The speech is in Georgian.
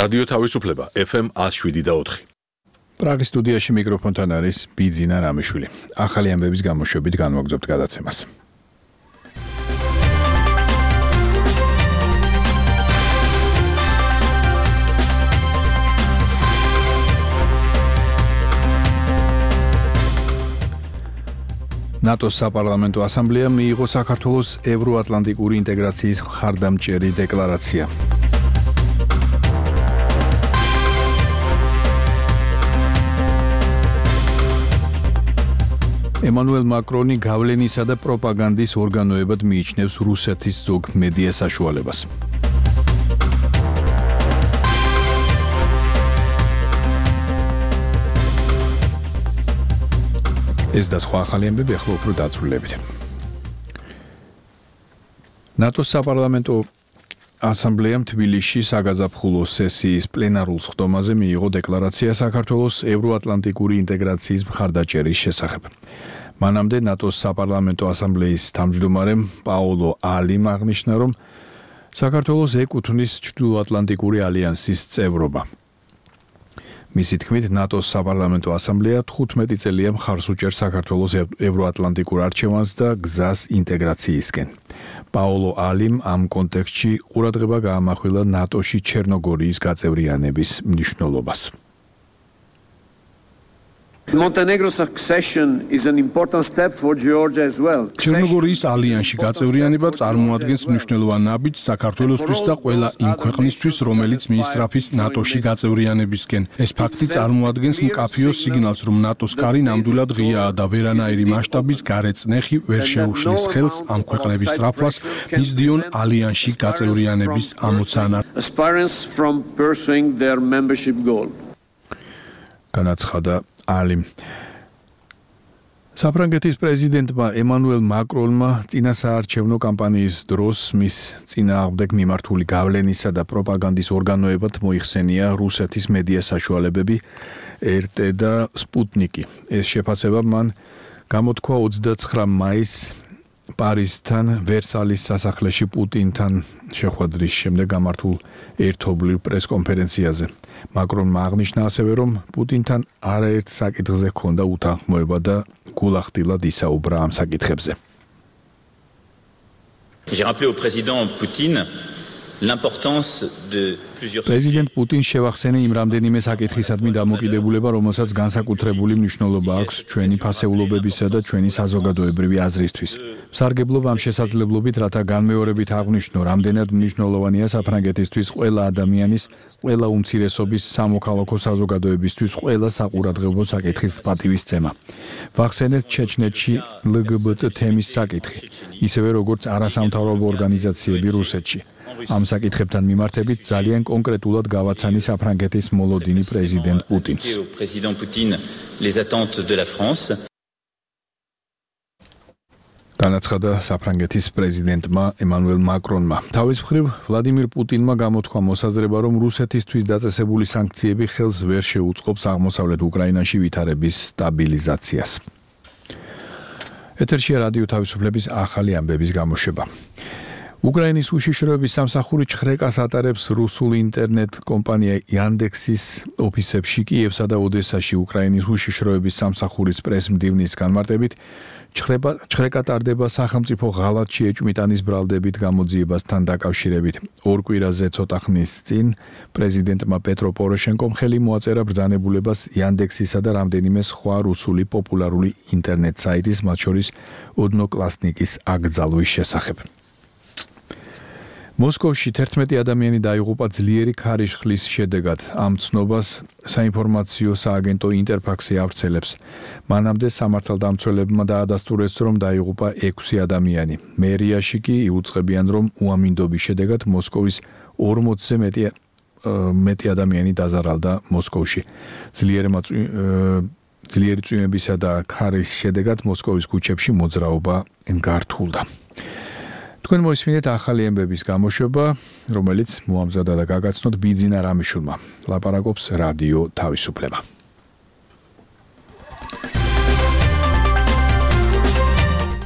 რადიო თავისუფლება FM 107.4. პრაღის სტუდიაში მიკროფონთან არის ბიძინა რამიშვილი. ახალი ამბების გამოშვებით განვაგრძობთ გადაცემას. ნატოს საპარლამენტო ასამბლეამ მიიღო საქართველოს ევროატლანტიკური ინტეგრაციის მხარდამჭერი დეკლარაცია. ემანუელ მაკრონი გავლენისა და პროპაგანდის ორგანოებად მიიჩნევს რუსეთის ზოგ მედია საშუალებას. ეს და სხვა ახალი ამბები ახლა უფრო დაწვრილებით. ნატოს საპარლამენტო ასამბლეამ თბილისში საგაზაფხულო სესიის პლენარულ სხდომაზე მიიღო დეკლარაცია საქართველოს ევროატლანტიკური ინტეგრაციის მხარდაჭერის შესახებ. მანამდე ნატოს საპარლამენტო ასამბლეის თავმჯდომარემ პაოლო ალიმ აღნიშნა, რომ საქართველოს ეკუთვნის ჩრდილოატლანტიკური ალიანსის წევრობა. მისი თქმით, ნატოს საპარლამენტო ასამბლეა 15 წელია მხარს უჭერს საქართველოს ევროატლანტიკურ არჩევანს და გზას ინტეგრაციისკენ. პაოლო ალიმ ამ კონტექსტში ყურადღება გაამახვილა ნატოში ჩერნოგორიის გაწევრიანების მნიშვნელობას. Montenegro's accession is an important step for Georgia as well. ჩერნოგორიის ალიანსში გაწევრიანება წარმოადგენს მნიშვნელოვან ნაბიჯს საქართველოსთვის და ყველა იმ ქვეყნისთვის, რომელიც მიისწრაფის ნატოში გაწევრიანებისკენ. ეს ფაქტი წარმოადგენს მკაფიო სიგნალს, რომ ნატოს კარი ნამდვილად ღიაა და ვერანაირი მასშტაბის გარეწნეხი ვერ შეუშლის ხელს ამ ქვეყნების სწრაფვას მისდიონ ალიანსში გაწევრიანების ამოცანა. განაცხადა ალიმ. საფრანგეთის პრეზიდენტმა ემანუელ მაკრონმა წინასაარჩევნო კამპანიის დროს მის წინააღმდეგ მიმართული გავლენისა და პროპაგანდის ორგანოებად მოიხსენია რუსეთის მედია საშუალებები RT და სპუტნიკი. ეს შეფასება მან გამოთქვა 29 მაისს პარიზთან ვერსალის სასახლეში პუტინთან შეხვედრის შემდეგ გამართულ ერთობლივ პრესკონფერენციაზე. მაკრონმა აღნიშნა ასევე, რომ პუტინთან არაერთ საკითხზე ჰქონდა უთანხმოება და გულახდილად ისაუბრა ამ საკითხებზე. J'ai rappelé au président Poutine l'importance de plusieurs პრეზიდენტ პუტინს შევახსენე იმ რამდენიმე საკითხისადმი დამოკიდებულება, რომელსაც განსაკუთრებული მნიშვნელობა აქვს ჩვენი ფასეულობებისა და ჩვენი საზოგადოებრივი აზრისთვის. სარგებლობ ამ შესაძლებლობით, რათა განმეორებით აღვნიშნო, რამდენად მნიშვნელოვანია საფრანგეთისთვის ყველა ადამიანის, ყველა უმცირესობის, სამოქალაქო საზოგადოებისთვის ყველა საყურადღებო საკითხის პატივისცემა. ვახსენეთ ჩეჩნეთში LGBT თემის საკითხი, ისევე როგორც არასამთავრობო ორგანიზაციები რუსეთში. ამ საკითხებთან მიმართებით ძალიან კონკრეტულად გავაცანი საფრანგეთის მოლოდინი პრეზიდენტ პუტინს. განაცხადა საფრანგეთის პრეზიდენტმა ემანუელ მაკრონმა. თავის მხრივ ვლადიმირ პუტინმა გამოთქვა მოსაზრება, რომ რუსეთისთვის დაწესებული სანქციები ხელს ვერ შეუწყობს აღმოსავლეთ უკრაინაში ვითარების სტაბილიზაციას. ეთერშია რადიო თავისუფლების ახალი ამბების გამოშვება. უკრაინის უშიშროების სამსახური ჩხრეკას ატარებს რუსულ ინტერნეტ კომპანია Yandex-ის ოფისებში კიევსა და ოდესაში. უკრაინის უშიშროების სამსახურის პრესმდივნის განმარტებით, ჩხრეკა ტარდება სახელმწიფო ღალატში ეჭვმიტანის ბრალდებით გამოძიებასთან დაკავშირებით. ორ კვირაზე ცოტა ხნის წინ პრეზიდენტმა პეტრო პოროშენკომ ხელი მოაწერა ბრძანებულებას Yandex-ისა და რამდენიმე სხვა რუსული პოპულარული ინტერნეტ საიტის, მათ შორის ოდნოკლასნიკის აკრძალვის შესახებ. მოსკოვში 11 ადამიანი დაიღუპა ძლიერი ქარიშხლის შედეგად. ამ ცნობას საინფორმაციო სააგენტო ინტერფაქსი ავრცელებს. მანამდე სამართალდამცველებმა დაადასტურეს, რომ დაიღუპა 6 ადამიანი. მერიაში კი იუწყებიან, რომ უამინდობის შედეგად მოსკოვის 40-ზე მეტი ადამიანი დაზარალდა მოსკოვში. ძლიერი წვიმებისა და ქარის შედეგად მოსკოვის ქუჩებში მოძრაობა გართულდა. თქვენ მოისმინეთ ახალი ამბების გამოშვება, რომელიც მოამზადა და გაგაცნოთ ბიძინა რამიშვილმა. ლაპარაკობს რადიო თავისუფლება.